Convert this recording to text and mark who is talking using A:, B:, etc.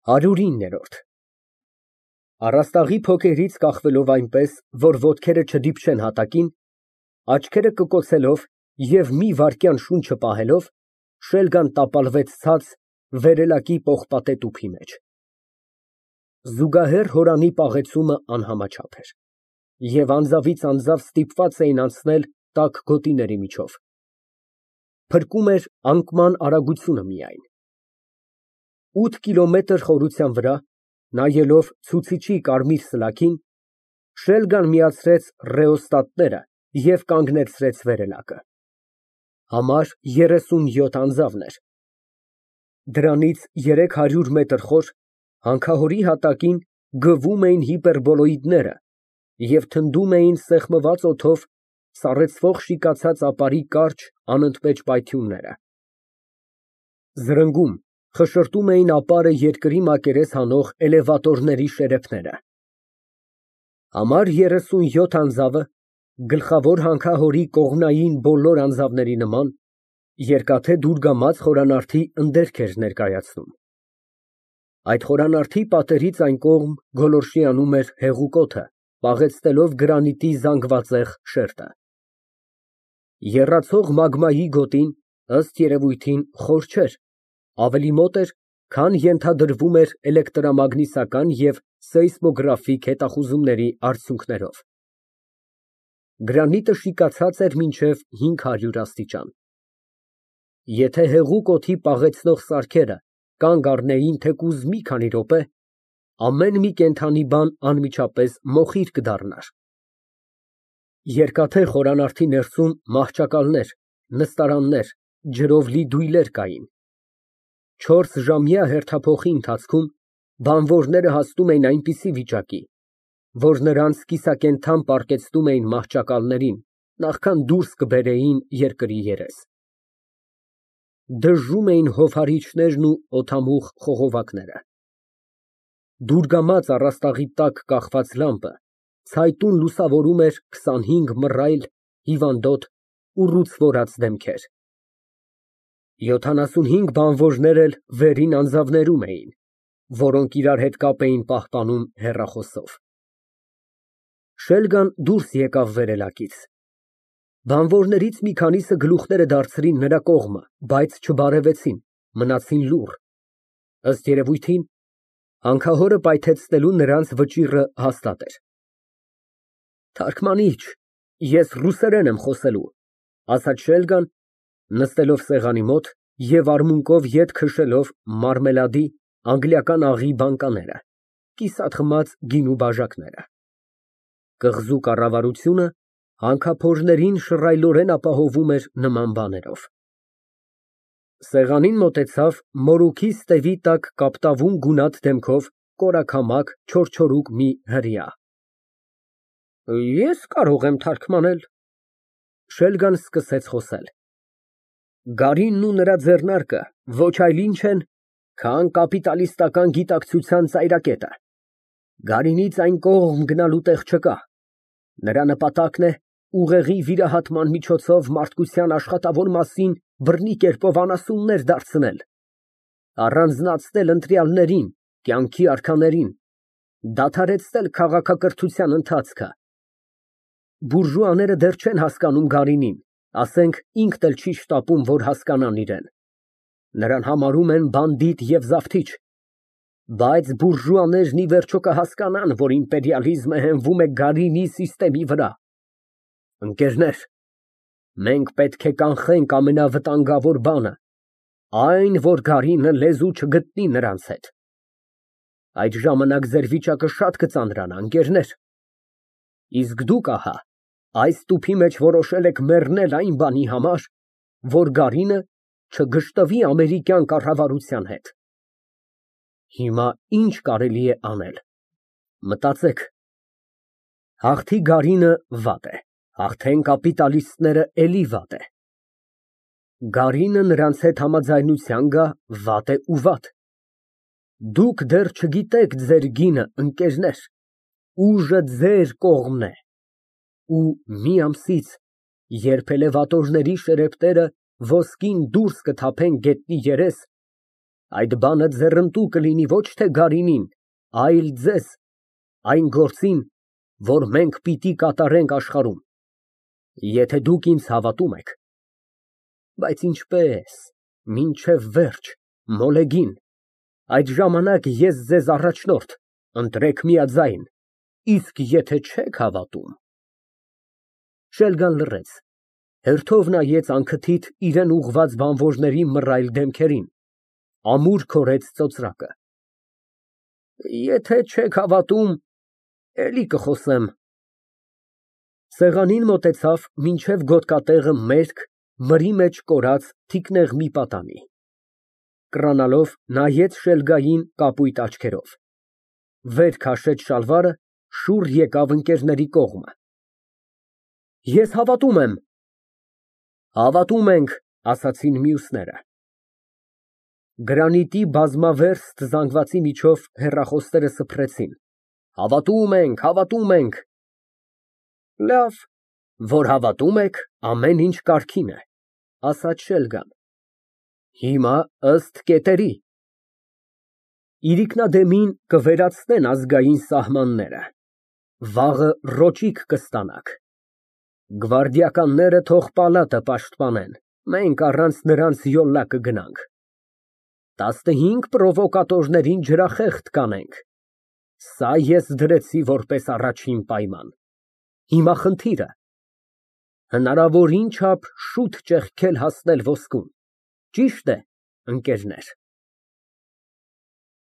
A: 109։ Առաստաղի փոքերից կախվելով այնպես, որ ոտքերը չդիպչեն հատակին, աչքերը կկոցելով և մի վայրկյան շունչը պահելով, շելգան տապալվեց ցած վերելակի պողպատե տուփի մեջ։ Զուգահեռ հորանի պաղեցումը անհամաչափ էր, և անձավից անձավ ստիպված էին անցնել տաք գոտիների միջով։ Փրկում էր անկման արագությունը միայն։ 8 կիլոմետր խորության վրա, նայելով ցուցիչի կարմիր սլաքին, շելգան միացրեց ռեոստատները և կանգնեցրեց վերելակը։ Համար 37 անձավն էր։ Դրանից 300 մետր խոր, հանքահորի հատակին գվում էին հիպերբոլոիդները և թնդում էին սեղմված օդով սառեցվող շիկացած ապարի կարճ, անընդմեջ պայթյունները։ Զրնգում, խշշտում էին ապարը երկրի մակերես հանող էլևատորների շերեփները։ Համար 37 անձավը, գլխավոր հանքահորի կողմնային բոլոր անձավների նման, երկաթե դուրգամած խորանարդի ընդերք էր ներկայացնում։ Այդ խորանարդի պատերից այն կողմ գոլորշի անում էր հեղուկ օդը, պաղեցնելով գրանիտի զանգվածեղ շերտը։ Եռացող մագմայի գոտին, ըստ երևույթին, խոր չէր, ավելի մոտ էր, քան ենթադրվում էր էլեկտրամագնիսական և սեյսմոգրաֆիկ հետախուզումների արդյունքներով։ Գրանիտը շիկացած էր մինչև 500 աստիճան։ Եթե հեղուկ օդի պաղեցնող սարքերը կանգ առնեին թեկուզ մի քանի րոպե, ամեն մի կենդանի բան անմիջապես մոխիր կդառնար։ Երկաթե խորանարդի ներսում մահճակալներ, նստարաններ, ջրով լի դույլեր կային։ 4 ժամյա հերթափոխի ընթացքում բանվորները հասնում էին այնպիսի վիճակի, որ նրանց կիսակենդան պառկեցնում էին մահճակալներին, նախքան դուրս կբերեին երկրի երես։ Դժժում էին հովհարիչներն ու օդամուղ խողովակները։ Դուրգամած առաստաղի տակ կախված լամպը ցայտուն լուսավորում էր 25 մռայլ, հիվանդոտ, ուռուցվորած դեմքեր։ 75 բանվորներ էլ վերին անձավներում էին, որոնք իրար հետ կապ էին պահպանում հեռախոսով։ Շելգան դուրս եկավ վերելակից։ Բանվորներից մի քանիսը գլուխները դարձրին նրա կողմը, բայց չբարևեցին, մնացին լուռ։ Ըստ երևույթին, հանքահորը պայթեցնելու նրանց վճիռը հաստատ էր։ Թարքմանիչ, ես ռուսերեն եմ խոսելու, ասաց Շելգան, նստելով սեղանի մոտ և արմունկով ետ քշելով մարմելադի, անգլիական աղի բանկաները, կիսատ խմած գինու բաժակները։ Կղզու կառավարությունը հանքափորներին շռայլորեն ապահովում էր նման բաներով։ Սեղանին մոտեցավ մորուքի ստևի տակ կապտավուն գունատ դեմքով կորակամակ, չորչորուկ մի հրեա։ Ես կարող եմ թարգմանել։ Շելգան սկսեց խոսել։ Գարինն ու նրա ձեռնարկը ոչ այլ ինչ են, քան կապիտալիստական գիտակցության ծայրակետը։ Գարինից այն կողմ գնալու տեղ չկա։ Նրա նպատակն է ուղեղի վիրահատման միջոցով մարդկության աշխատավոր մասին բռնի կերպով անասուններ դարձնել, առանձնացնել ընտրյալներին, կյանքի արքաներին, դադարեցնել քաղաքակրթության ընթացքը։ Բուրժուաները դեռ չեն հասկանում Գարինին, ասենք ինքն էլ չի շտապում, որ հասկանան իրան։ Նրան համարում են բանդիտ և զավթիչ, բայց բուրժուաներն ի վերջո կհասկանան, որ իմպերիալիզմը հենվում է Գարինի սիստեմի վրա։ Ընկերներ, մենք պետք է կանխենք ամենավտանգավոր բանը, այն, որ Գարինը լեզու չգտնի նրանց հետ։ Այդ ժամանակ ձեր վիճակը շատ կծանրանա, ընկերներ։ Իսկ դուք, ահա, այս տուփի մեջ որոշել եք մեռնել այն բանի համար, որ Գարինը չգժտվի ամերիկյան կառավարության հետ։ Հիմա ինչ կարելի է անել։ Մտածեք։ Հաղթի Գարինը վատ է, հաղթեն կապիտալիստները էլի վատ է։ Գարինը նրանց հետ համաձայնության գա, վատ է ու վատ։ Դուք դեռ չգիտեք ձեր գինը, ընկերներ, ուժը ձեր կողմն է։ Ու մի ամսից, երբ էլևատորների շերեփները ոսկին դուրս կթափեն գետնի երես, Այդ բանը ձեռնտու կլինի ոչ թե Գարինին, այլ ձեզ, այն գործին, որ մենք պիտի կատարենք աշխարհում, եթե դուք ինձ հավատում եք։ Բայց ինչպես, մինչև վերջ, մոլեգին, այդ ժամանակ ես ձեզ առաջնորդ, ընտրեք միաձայն, իսկ եթե չեք հավատում… Շելգան լռեց, հերթով նայեց անքթիթ իրան ուղղված բանվորների մռայլ դեմքերին, ամուր քորեց ծոծրակը։ Եթե չեք հավատում, էլի կխոսեմ։ Սեղանին մոտեցավ մինչև գոտկատեղը մերկ, մրի մեջ կորած թիկնեղ մի պատանի։ Կռանալով նայեց Շելգային կապույտ աչքերով, վեր քաշեց շալվարը, շուռ եկավ ընկերների կողմը։ Ես հավատում եմ։ Հավատում ենք, ասացին մյուսները։ Գրանիտի բազմավերստ զանգվածի միջով հեռախոսները սփռեցին։ Հավատում ենք։ Լավ, որ հավատում եք, ամեն ինչ կարգին է, ասաց Շելգան։ Հիմա ըստ կետերի։ Իրիկնադեմին կվերացնեն ազգային սահմանները, վաղը ռոճիկ կստանաք։ Գվարդիականները թող պալատը պաշտպանեն, մենք առանց նրանց յոլլա կգնանք։ 15 պրովոկատորներին ջրախեղտ կանենք։ Սա ես դրեցի որպես առաջին պայման։ Հիմա խնդիրը հնարավորին չափ շուտ ճեղքել հասնել ոսկուն, ճիշտ է, ընկերներ։